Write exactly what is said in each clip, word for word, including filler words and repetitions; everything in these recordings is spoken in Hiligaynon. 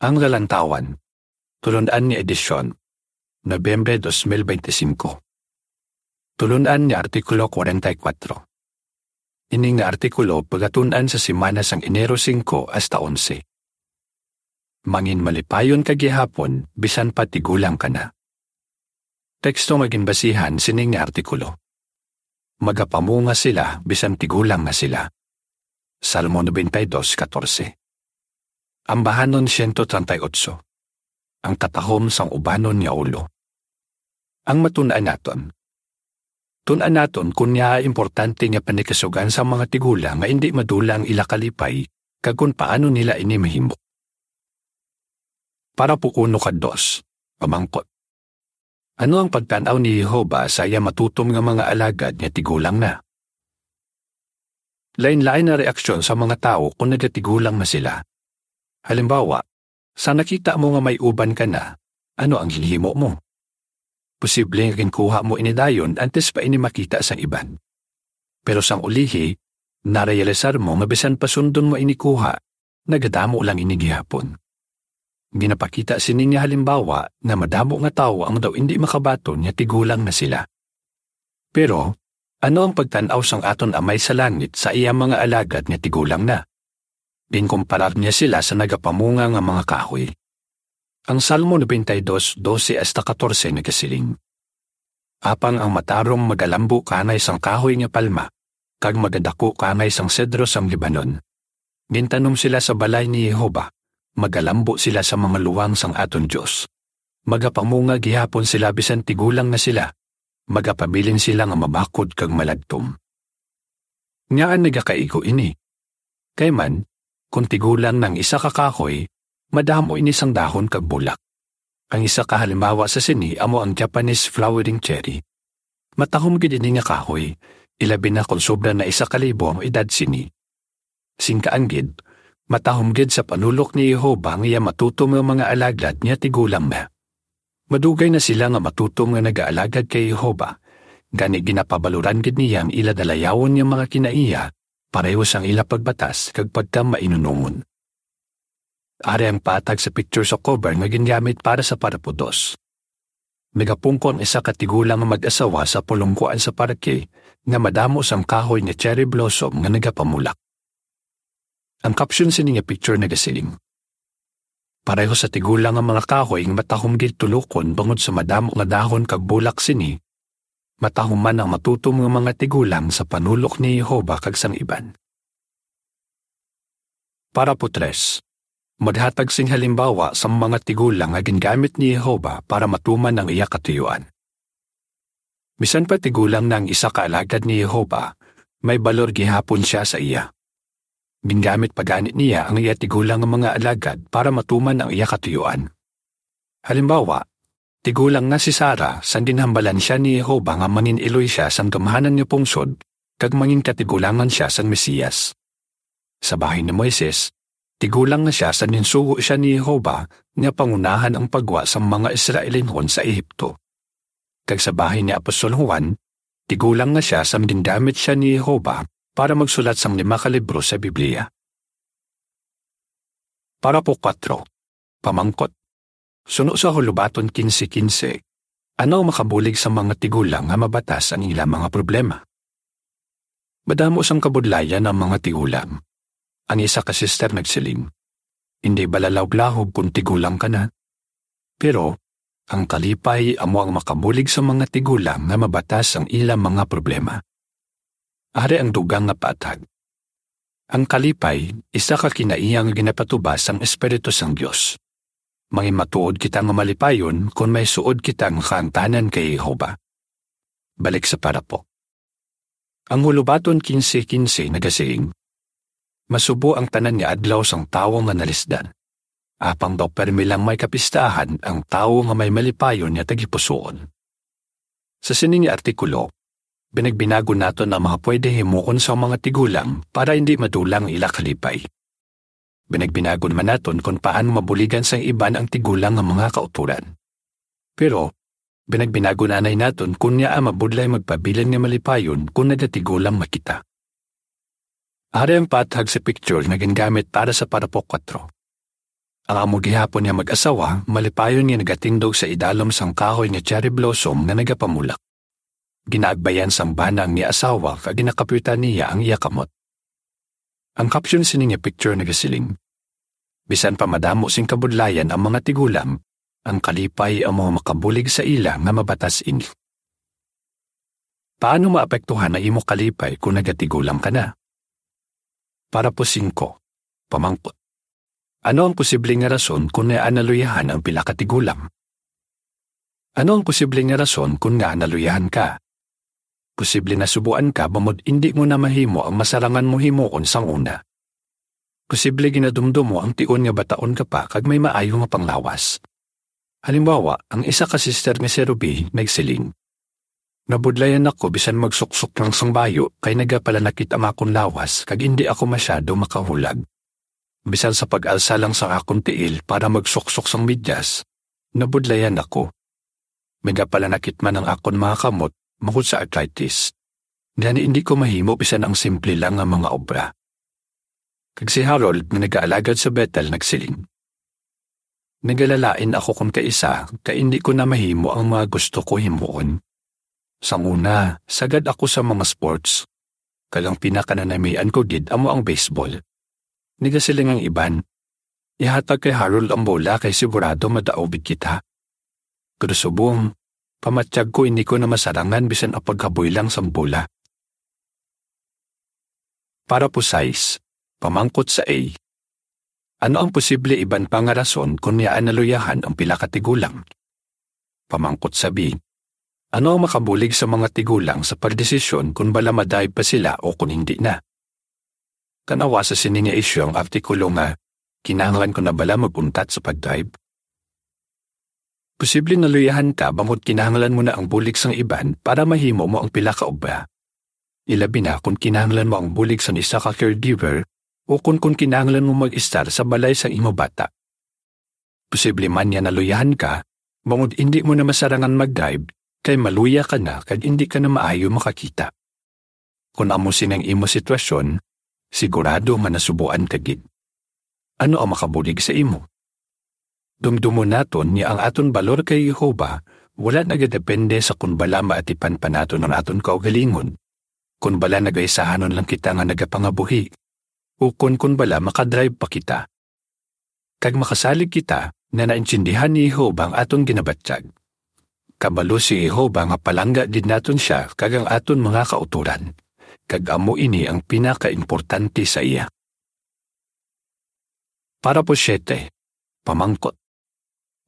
Ang Lalantawan, Tulun-an nga Edisyon, Nobyembre dos mil bente singko. Tulun-an nga Artikulo kwarenta y kuwatro. Ini nga artikulo pagatun-an sa semana sang Enero singko hasta onse. Mangin malipayon ka gihapon, bisan pa tigulang ka na. Teksto nga ginbasihan sining nga artikulo. Magapamunga sila bisan tigulang na sila. Salmo nobenta y dos katorse. Ambahanon siyento treinta y ocho. Ang katahom sang ubanon nga ulo. Ang matun-an naton. Tun-an naton kon ngaa importante nga panikasugan sa mga tigulang nga indi madula ang ila kalipay kag kon paano nila ini mahimo. Parapo uno kag dos, pamangkot. Ano ang pagtan-aw ni Jehovah sa iya matutom nga mga alagad nga tigulang na? Lain-lain ang reaksyon sa mga tawo kon nagatigulang na sila. Halimbawa, sa nakita mo nga may uban ka na, ano ang ginhimo mo? Posible nga ginkuha mo ini dayon antes pa ini makita sang iban. Pero sang ulihi, narealisar mo nga bisan pa sundon mo ini kuha, nagadamo lang ini gihapon. Ginapakita sini nga halimbawa nga madamo nga tawo ang daw indi makabaton nga tigulang na sila. Pero, ano ang pagtan-aw sang aton Amay sa Langit sa iya mga alagad nga tigulang na? Ginkumparar niya sila sa nagapamunga nga mga kahoy. Ang Salmo nobenta y dos, dose hasta katorse nagasiling, "Apang ang matarong magalambo kanay sang kahoy nga palma, kag magadako kanay sang sedro sang Lebanon. Gintanom sila sa balay ni Jehovah, magalambo sila sa mga luwang sang aton Dios. Magapamunga gihapon sila bisan tigulang na sila, magapabilin sila nga mabakod kag maladtom." Ngaa nagakaigo ini? Kay man, kon tigulang na ang isa ka kahoy, madamo ini sang dahon kag bulak. Ang isa ka halimbawa sa sini amo ang Japanese flowering cherry. Matahom gid ini nga kahoy, ilabi na kon sobra na isa ka libo ang edad sini. Sing kaanggid, matahom gid sa panulok ni Jehovah ang iya matutom nga mga alagad nga tigulang na. Madugay na sila nga matutom nga nagaalagad kay Jehovah, gani ginapabaloran gid niya ang ila dalayawon nga mga kinaiya, pareho sang ila pagbatas kag pagkamainunungon. Ari ang patag sa picture sa cover nga gingamit para sa parapo dos. Nagapungko ang isa ka tigulang nga mag-asawa sa pulongkoan sa parke nga madamo sang kahoy nga cherry blossom nga nagapamulak. Ang caption sini nga picture nagasiling, "Pareho sa tigulang nga mga kahoy nga matahom gid tulokon bangod sa madamo nga dahon kag bulak sini, matahom man ang matutom nga mga tigulang sa panulok ni Jehovah kag sang iban." Parapo tres. Maghatag sing halimbawa sang mga tigulang nga gingamit ni Jehovah para matuman ang iya katuyuan. Bisan pa tigulang na ang isa ka alagad ni Jehovah, may balor gihapon sia sa iya. Gingamit pa gani niya ang iya tigulang nga mga alagad para matuman ang iya katuyuan. Halimbawa, tigulang na si Sarah sang ginhambalan sia ni Jehovah nga mangin-iloy sia sang gamhanan nga pungsod kag mangin katigulangan sia sang Mesiyas. Sa bahin ni Moises, tigulang na sia sang ginsugo sia ni Jehovah nga pangunahan ang paggwa sang mga Israelinhon sa Ehipto. Kag sa bahin ni Apostol Juan, tigulang na sia sang gingamit sia ni Jehovah para magsulat sang lima ka libro sa Biblia. Parapo kuwatro. Pamangkot. Suno sa Hulubaton kinse kinse, ano ang makabulig sa mga tigulang nga mabatas ang ila mga problema? Madamo sang kabudlayan ang mga tigulang. Ang isa ka sister nagsiling, "Indi bala lahublahob kon tigulang ka na." Pero, ang kalipay amo ang makabulig sa mga tigulang nga mabatas ang ila mga problema. Ari ang dugang nga patag. Ang kalipay, isa ka kinaiya nga ginapatubas sang Espiritu sang Dios. Manginmatuod kita nga malipayon kon may suod kita nga kaangtanan kay Jehovah. Balik sa parapo. Ang Hulubaton kinse kinse nagasiling, "Masubo ang tanan nga adlaw sang tawo nga nalisdan. Apang daw permi lang may kapistahan ang tawo nga may malipayon nga tagipusoon." Sa sini nga artikulo, binagbinagon naton ang mga pwede himuon sang mga tigulang para hindi madula ang ila kalipay. Binagbinagon man naton kon paano mabuligan sang iban ang tigulang nga mga kautoran. Pero, binagbinagon anay naton kon ngaa mabudlay magpabilin nga malipayon kon nagatigulang na kita. Ari ang paathag sa picture nga gingamit para sa parapo kuwatro. Ang amo gihapon nga mag-asawa, malipayon nga nagatindog sa idalom sang kahoy nga cherry blossom nga nagapamulak. Ginaagbayan sang bana ang iya asawa kag ginakapyutan niya ang iya kamot. Ang caption sini nga picture nagasiling, "Bisan pa madamo sing kabudlayan ang mga tigulang, ang kalipay amo ang makabulig sa ila nga mabatas ini." Paano maapektuhan ang imo kalipay kung nagatigulang ka na? Parapo singko, pamangkot. Ano ang posible nga rason kon ngaa naluyahan ang pila ka tigulang? Ano ang posible nga rason kon ngaa naluyahan ka? Posible nasubuan ka bangod indi mo na mahimo ang masarangan mo himuon sang una. Posible ginadumdom mo ang tion nga bataon ka pa kag may maayo nga panglawas. Halimbawa, ang isa ka sister nga si Ruby nagsiling, "Nabudlayan ako bisan magsuksok lang sang bayo kay nagapalanakit ang akon lawas kag indi ako masyado makahulag. Bisan sa pag-alsa lang sa akon tiil para magsuksok sang medyas, nabudlayan ako. Nagapalanakit man ang akon mga kamot bangod sa arthritis. Gani indi ko mahimo bisan ang simple lang nga mga obra." Kag si Harold nga nagaalagad sa Bethel nagsiling, "Nagalalain ako kon kaisa kay indi ko na mahimo ang mga gusto ko himuon. Sang una, sagad ako sa mga sports, kag ang pinakananamian ko gid amo ang baseball." Nagasiling ang iban, "Ihatag kay Harold ang bola kay sigurado madaog kita." Pero subong, pamatyag ko, hindi ko na masarangan bisan ang paghaboy lang sang bola. Parapo sais, pamangkot sa A. Ano ang posible iban pa nga rason kon ngaa naluyahan ang pila ka tigulang? Pamangkot sa B. Ano ang makabulig sa mga tigulang sa pagdesisyon kon bala ma-dive pa sila o kon hindi na? Tan-awa sa sini nga isyu ang artikulo nga, "Kinahanglan ko na bala mag-untat sa pag-dive?" Posible naluyahan ka bangod kinahanglan mo na ang bulig sang iban para mahimo mo ang pila ka obra. Ilabi na kon kinahanglan mo ang bulig sang isa ka caregiver o kon, kon kinahanglan mo mag-estar sa balay sang imo bata. Posible man nga naluyahan ka bangod indi mo na masarangan mag-dive kay maluya ka na kag indi ka na maayo makakita. Kon amo sini ang imo sitwasyon, sigurado nga nasubuan ka gid. Ano ang makabulig sa imo? Dumdumon naton nga ang aton balor kay Jehovah wala nagadepende sa kon bala maatipan pa naton ang aton kaugalingon, kon bala nagaisahanon lang kita nga nagapangabuhi, ukon kon bala makadrive pa kita. Kag makasalig kita nga naintindihan ni Jehovah ang aton ginabatyag. Kabalo si Jehovah nga palangga gid naton sia kag ang aton mga kautoran, kag amo ini ang pinakaimportante sa iya. Parapo siete, pamangkot.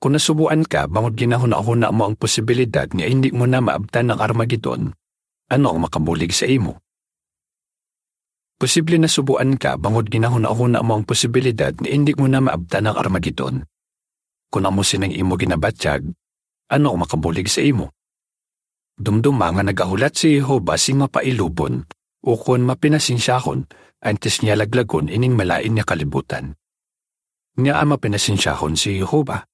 Kon nasubuan ka bangod ginahunahuna mo ang posibilidad nga indi mo na maabtan ang Armagedon, ano ang makabulig sa imo? Posible nasubuan ka bangod ginahunahuna mo ang posibilidad nga indi mo na maabtan ang Armagedon. Kon amo sini ang imo ginabatyag, ano ang makabulig sa imo? Dumduma nga nagahulat si Jehovah sing mapailubon ukon mapinasensyahon, antes niya laglagon ining malain nga kalibutan. Ngaa mapinasensyahon si Jehovah?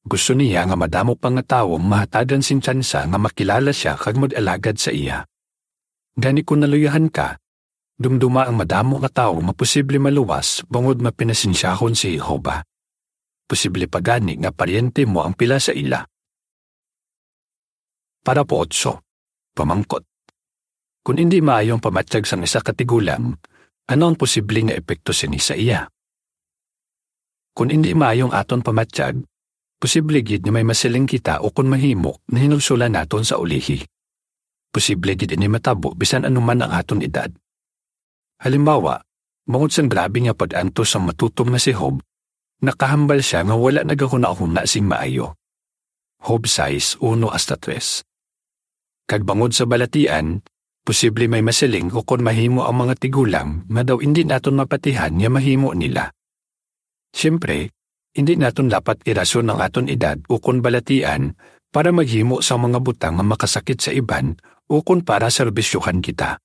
Gusto niya nga madamo pa nga tawo ang mahatagan sing tsansa nga makilala sia kag mag-alagad sa iya. Gani, kon naluyahan ka, dumduma ang madamo nga tawo nga posible maluwas bangod mapinasensyahon si Jehovah. Posible pa gani nga paryente mo ang pila sa ila. Parapo otso, pamangkot. Kon indi maayo ang pamatyag sang isa ka tigulang, ano ang posible nga epekto sini sa iya? Kon indi maayo ang aton pamatyag, posible gid nga may masiling kita ukon mahimo nga hinulsolan naton sa ulihi. Posible gid ini matabo bisan ano man ang aton edad. Halimbawa, bangod sang grabe nga pag-antos sang matutom nga si Job, nakahambal sia nga wala nagahunahuna sing maayo. Job sais, uno hasta tres. Kag bangod sa balatian, posible may masiling ukon mahimo ang mga tigulang nga daw indi naton mapatihan nga mahimo nila. Siyempre, indi naton dapat irason ang aton edad ukon balatian para maghimo sang mga butang nga makasakit sa iban ukon para serbisyohan kita.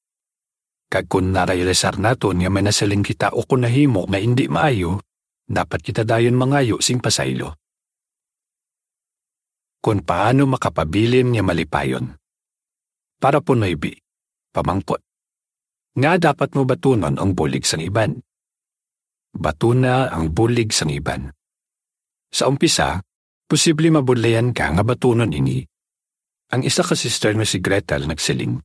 Kag kon narealisar naton nga may nasiling kita ukon nahimo nga indi maayo, dapat kita dayon mangayo sing pasaylo. Kon paano makapabilin nga malipayon. Parapo nuebe, pamangkot. Ngaa dapat mo batunon ang bulig sang iban? Batuna ang bulig sang iban. Sa umpisa, posible mabudlayan ka nga batunon ini. Ang isa ka sister nga si Gretel nagsiling,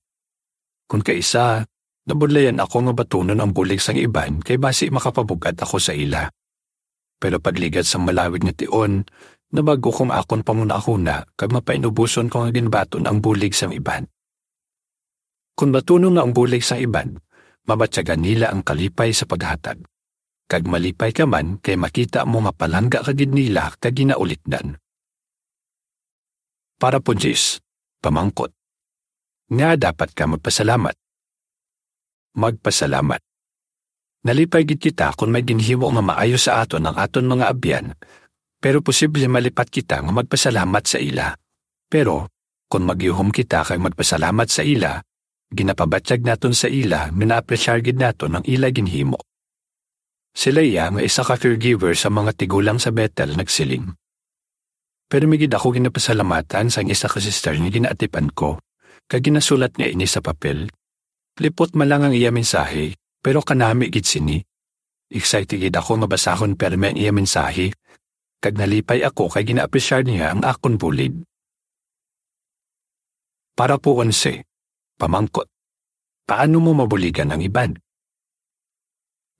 "Kon kaisa, nabudlayan ako nga batunon ang bulig sang iban kay basi makapabug-at ako sa ila. Pero pagligad sang malawig nga tion, nabag-o ko nga akon panghunahuna kag mapainuboson ko nga ginbaton ang bulig sang iban." Kon batunon na ang bulig sang iban, mabatyagan nila ang kalipay sa paghatag. Kag malipay ka man kay makita mo nga palangga ka gid nila kag ginaulikdan. Parapo diyes, pamangkot. Nga dapat ka magpasalamat. Magpasalamat. Nalipay gid kita kon may ginhimo nga maayo sa aton ang aton mga abyan, pero posible malipat kita nga magpasalamat sa ila. Pero kon magyuhom kita kag magpasalamat sa ila, ginapabatyag naton sa ila nga naapresyar gid naton ang ila ginhimo. Si Leah nga isa ka caregiver sa mga tigulang sa Bethel nagsiling, "Pero may gid ako ginapasalamatan sang isa ka sister nga ginaatipan ko, kag ginasulat niya ini sa papel. Lipot man lang ang iya mensahe, pero kanami gid sini. Excited gid ako nga basahon permi ang iya mensahe, kag nalipay ako kay ginaapresyar niya ang akon bulig." Parapo onse, pamangkot. Paano mo mabuligan ang iban?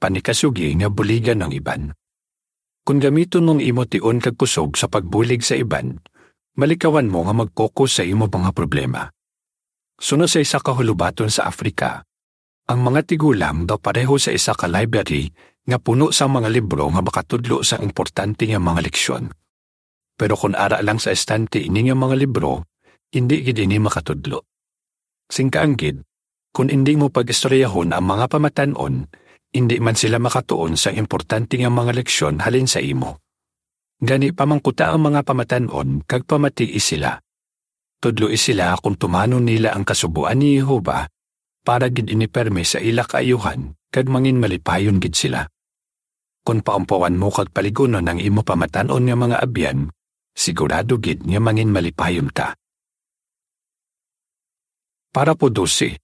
Panikasugi nga buligan ang iban. Kon gamiton mo ang imo tion kag kusog sa pagbulig sa iban, malikawan mo nga mag-focus sa imo mga problema. Suno sa isa ka hulobaton sa Africa, ang mga tigulang daw pareho sa isa ka library nga puno sang mga libro nga makatudlo sang importante nga mga leksyon. Pero kon ara lang sa estante ini nga mga libro, indi gid ini makatudlo. Sing kaanggid, kon indi mo pag-istoryahon ang mga pamatan-on, indi man sila makatuon sang importante nga mga leksyon halin sa imo. Gani, pamangkuta ang mga pamatan-on kag pamatii sila. Tudloi sila kon tumanon nila ang kasugoan ni Jehovah, para gid ini permi sa ila kaayuhan kag manginmalipayon gid sila. Kon paumpawan mo kag paligunon ang imo pamatan-on nga mga abyan, sigurado gid nga manginmalipayon ka. Parapo dose,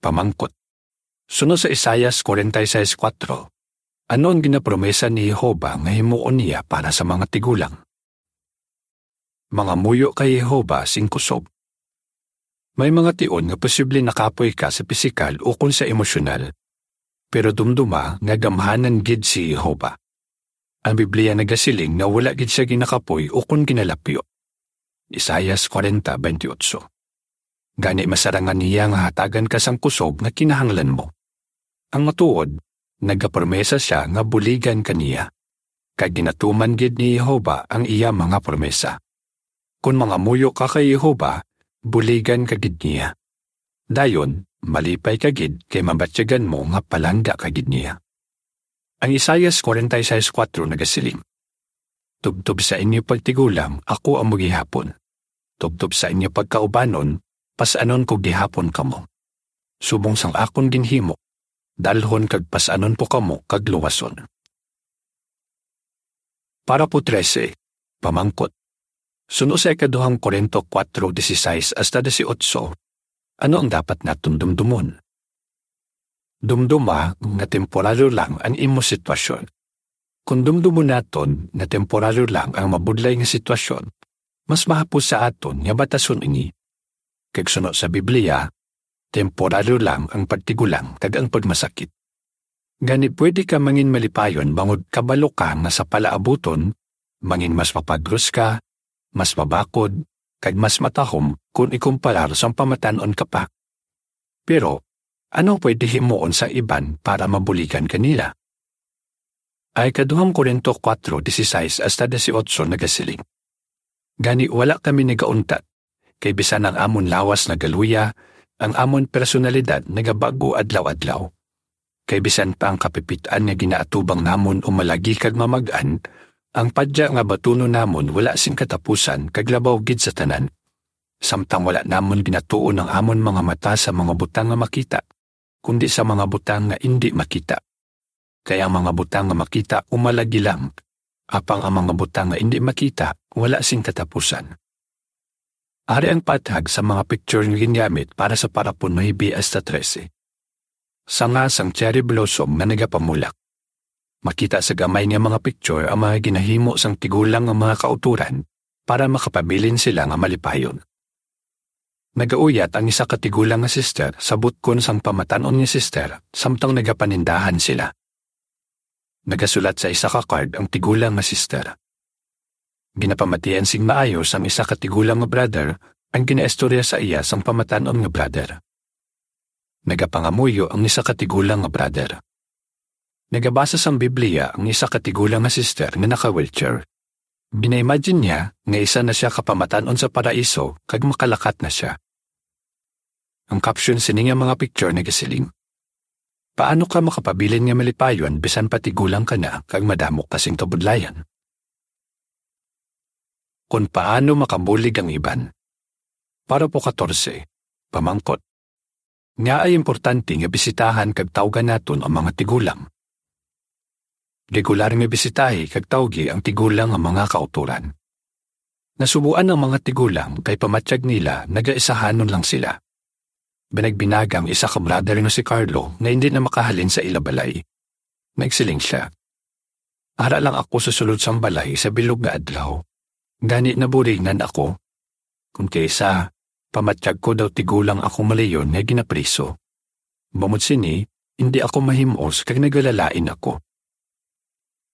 pamangkot. Suno sa Isaias forty-six four, ano ang ginapromesa ni Jehovah nga himuon niya para sa mga tigulang? Mangamuyo kay Jehovah sing kusog. May mga tion nga posible nakapoy ka sa pisikal ukon sa emosyonal, pero dumduma nga gamhanan gid si Jehovah. Ang Biblia nagasiling nga wala gid sia ginakapoy ukon ginalapyo. Isaias forty twenty-eight. Gani, masarangan niya nga hatagan ka sang kusog nga kinahanglan mo. Ang matuod, nagapromesa sia nga buligan ka niya, kag ginatuman gid ni Jehovah ang iya mga promesa. Kon mangamuyo ka kay Jehovah, buligan ka gid niya. Dayon, malipay ka gid kay mabatyagan mo nga palangga ka gid niya. Ang Isaias forty-six four nagasiling, "Tubtob sa inyo pagtigulang, ako amo gihapon. Tubtob sa inyo pagkaubanon, pas-anon ko gihapon kamo. Subong sang akon ginhimo, dalhon kag pas-anon ko kamo kag luwason." Parapo trese, pamangkot. Suno sa ikaduhang Corinto four dieciséis hasta dieciocho, ano ang dapat naton dumdumon? Dumduma nga temporaryo lang ang imo sitwasyon. Kon dumdumon naton nga temporaryo lang ang mabudlay nga sitwasyon, mas mahapos sa aton nga batason ini. Kag suno sa Biblia, temporaryo lang ang pagtigulang kag ang pagmasakit. Gani, pwede ka manginmalipayon bangod kabalo ka nga sa palaabuton, mangin mas mapagros ka, mas mabakod, kag mas matahom kon ikumparar sang pamatan-on ka pa. Pero, ano ang pwede himuon sa iban para mabuligan ka nila? Ang ikaduhang Corinto four dieciséis hasta dieciocho nagasiling, "Gani, wala kami nagauntat, kay bisan ang amon lawas nagaluya, ang amon personalidad nagabag-o adlaw-adlaw. Kay bisan pa ang kapipit-an nga ginaatubang namon umalagi kag mamag-an, ang padya nga batunon namon wala sing katapusan kag labaw gid sa tanan. Samtang wala namon ginatuon ang amon mga mata sa mga butang nga makita, kundi sa mga butang nga indi makita. Kay ang mga butang nga makita umalagi lang, apang ang mga butang nga indi makita wala sing katapusan." Ari ang patag sa mga picture nga gingamit para sa parapo nuebe hasta trese. Sanga sang cherry blossom nga nagapamulak. Makita sa gamay nga mga picture ang mga ginahimo sang tigulang nga mga kautoran para makapabilin sila nga malipayon. Nagauyat ang isa ka tigulang nga sister sa butkon sang pamatan-on nga sister samtang nagapanindahan sila. Nagasulat sa isa ka card ang tigulang nga sister. Ginapamatian sing maayo sang isa ka tigulang nga brother ang ginaistorya sa iya sang pamatan-on nga brother. Nagapangamuyo ang isa ka tigulang nga brother. Nagabasa sang Biblia ang isa ka tigulang nga sister nga naka-wheelchair. Gina-imagine niya nga isa na sia ka pamatan-on sa paraiso kag makalakat na sia. Ang caption sini nga mga picture nagasiling, "Paano ka makapabilin nga malipayon bisan pa tigulang ka na kag madamo ka sing kabudlayan?" Kon paano makabulig ang iban. Parapo katorse, pamangkot. Ngaa importante nga bisitahan kag tawgan naton ang mga tigulang? Regular nga bisitahi kag tawgi ang tigulang nga mga kautoran. Nasubuan ang mga tigulang kay pamatyag nila nagaisahanon lang sila. Binagbinag ang isa ka brother nga si Carlo nga indi na makahalin sa ila balay. Nagsiling sia, "Ara lang ako sa sulod sang balay sa bilog nga adlaw. Gani naburingan ako. Kon kaysa, pamatyag ko daw tigulang ako malayon nga ginapriso. Bangod sini, indi ako mahimos kag nagalalain ako."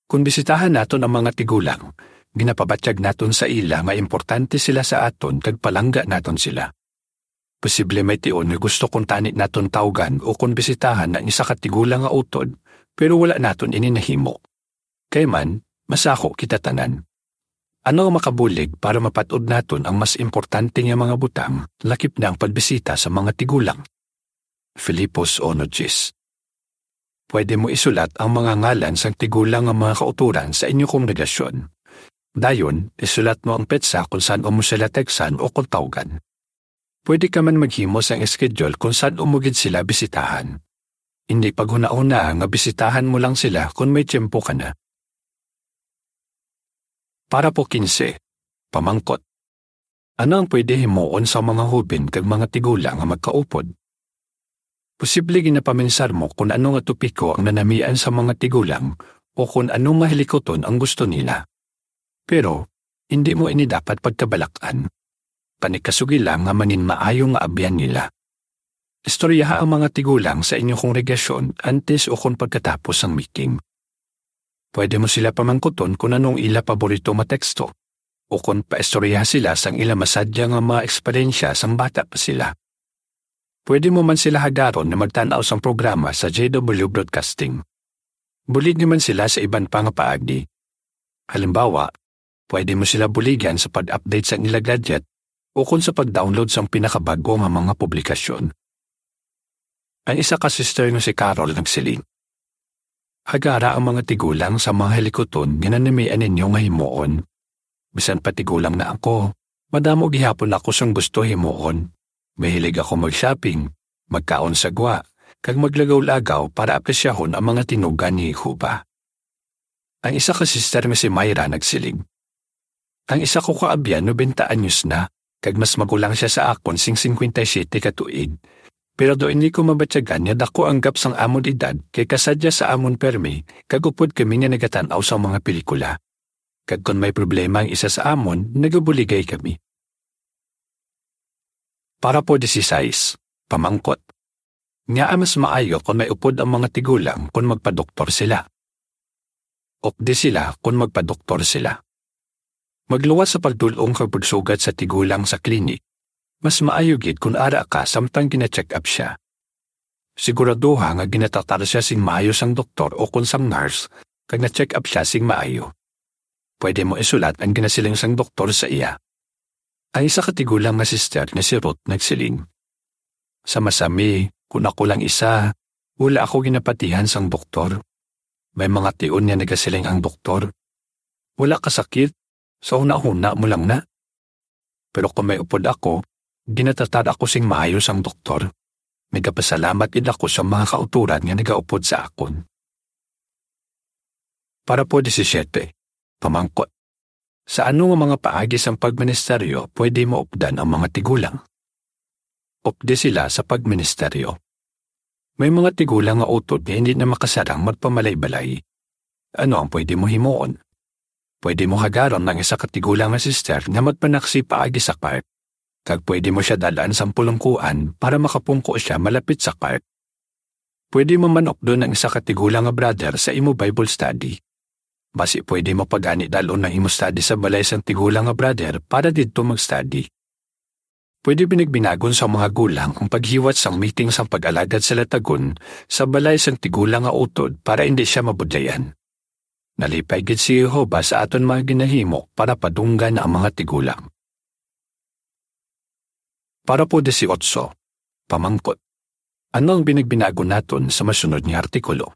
Kon bisitahan naton ang mga tigulang, ginapabatyag naton sa ila nga importante sila sa aton kag palangga naton sila. Posible may tion nga gusto kuntani naton tawgan o kon bisitahan ang isa ka tigulang nga utod, pero wala naton ini nahimo. Kay man, masako kita tanan. Ano ang makabulig para mapat-od naton ang mas importante nga mga butang, lakip na ang pagbisita sa mga tigulang? Filipos uno diyes. Pwede mo isulat ang mga ngalan sang tigulang nga mga kautoran sa inyo kongregasyon. Dayon, isulat mo ang petsa kon san-o mo sila teksan o kon tawgan. Pwede ka man maghimo sang schedule kon san-o mo gid sila bisitahan. Indi paghunahuna nga bisitahan mo lang sila kon may tiyempo ka na. Parapo kinse, pamangkot. Ano ang pwede himuon sa mga hoben kag mga tigulang nga magkaupod? Posible ginapaminsar mo kon ano nga topiko ang nanamian sa mga tigulang o kon ano nga hilikuton ang gusto nila. Pero, indi mo ini dapat pagkabalak-an. Panikasugi lang nga manginmaayo nga abyan nila. Istoryaha ang mga tigulang sa inyo kongregasyon antes o kon pagkatapos sang meeting. Pwede mo sila pamangkuton kon ano ang ila paborito nga teksto, o kon paistoryaha sila sang ila masadya nga mga eksperyensya sang bata pa sila. Pwede mo man sila hagaron nga magtan-aw sang programa sa J W Broadcasting. Buligi man sila sa iban pa nga paagi. Halimbawa, pwede mo sila buligan sa pag-update sang ila gadget o kon sa pag-download sang pinakabag-o nga mga publikasyon. Ang isa ka sister nga si Carol nagsiling, "Hagara ang mga tigulang sa mga hilikuton nga nanamian ninyo nga himuon. Bisan pa tigulang na ako, madamo gihapon ako sang gusto himuon. Mahilig ako mag-shopping, magkaon sa gwa, kag maglagaw-lagaw para apresyahon ang mga tinugan ni Jehovah." Ang isa ka sister nga si Myra nagsiling, "Ang isa ko ka abyan nobenta anyos na, kag mas magulang sia sa akon sing singkwenta y siyete ka tuig. Pero daw indi ko mabatyagan nga daku ang gap sang amon edad, kay kasadya sa amon permi, kag upod kami nga nagatan-aw sang mga pelikula. Kag kon may problema ang isa sa amon, nagabuligay kami." Parapo disisais, pamangkot. Ngaa mas maayo kon may upod ang mga tigulang kon magpadoktor sila? Updi sila kon magpadoktor sila. Magluwas sa pagdul-ong kag pagsugad sa tigulang sa klinik. Mas maayo gid kon ara ka samtang gina-check up sia. Siguraduha nga ginatratar sia sing maayo sang doktor o kon sang nurse, kag na-check up sia sing maayo. Pwede mo isulat ang ginasiling sang doktor sa iya. Ang isa ka tigulang nga sister nga si Ruth nagsiling, "Sa masami, kon ako lang isa, wala ako ginapatihan sang doktor. May mga tion nga nagasiling ang doktor, 'Wala ka sakit, sa hunahuna mo lang na.' Pero kon may upod ako, ginatratar ako sing maayo sang doktor. Nagapasalamat gid ako sa mga kautoran nga nagaupod sa akon." Parapo disisiete, pamangkot. Sa ano nga mga paagi sang pagministeryo pwede maupdan ang mga tigulang? Updi sila sa pagministeryo. May mga tigulang nga utod nga hindi na makasarang magpamalay-balay. Ano ang pwede mo himuon? Pwede mo hagaron ang isa ka tigulang nga sister nga magpanaksi paagi sa park, kag pwede mo sia dal-an sang pulungkuan para makapungko sia malapit sa park. Pwede mo man updon ang isa ka tigulang nga brother sa imo Bible study. Basi pwede mo pa gani dal-on ang imo study sa balay sang tigulang nga brother para didto mag-study. Pwede binagbinagon sa mga gulang ang paghiwat sang meeting sang pag-alagad sa latagon sa balay sang tigulang nga utod para indi sia mabudlayan. Nalipay gid si Jehovah sa aton mga ginahimo para padunggan ang mga tigulang. Parapo dieciocho, pamangkot. Ano ang binagbinagon naton sa masunod nga artikulo?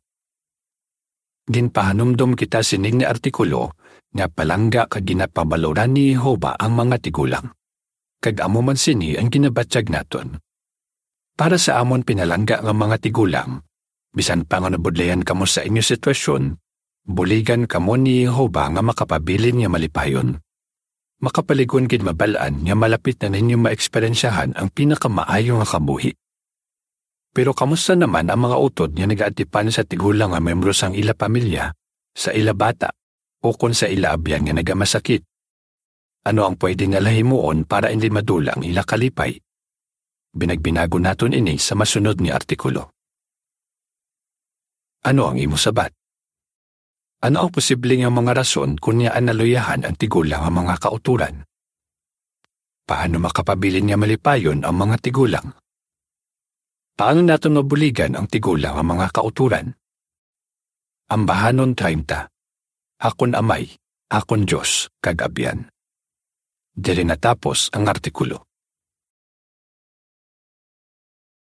Ginpahanumdom kita sining nga artikulo nga palangga kag ginapabaloran ni Jehovah ang mga tigulang, kag amo man sini ang ginabatyag naton. Para sa amon pinalangga nga mga tigulang, bisan pa nga nabudlayan kamo sa inyo sitwasyon, buligan kamo ni Jehovah nga makapabilin nga malipayon. Makapalig-on gid mabal-an nga malapit na ninyo maeksperyensyahan ang pinakamaayo nga kabuhi. Pero kamusta naman ang mga utod nga nagaatipan sa tigulang nga miyembro sang ila pamilya, sa ila bata, ukon sa ila abyan nga nagamasakit? Ano ang pwede nila himuon para indi madula ang ila kalipay? Binagbinagon naton ini sa masunod nga artikulo. Ano ang imo sabat? Ano ang posible nga mga rason kon ngaa naluyahan ang tigulang nga mga kautoran? Paano makapabilin nga malipayon ang mga tigulang? Paano naton mabuligan ang tigulang nga mga kautoran? Ambahanon treinta. Akon Amay, akon Dios, kag Abyan. Diri natapos ang artikulo.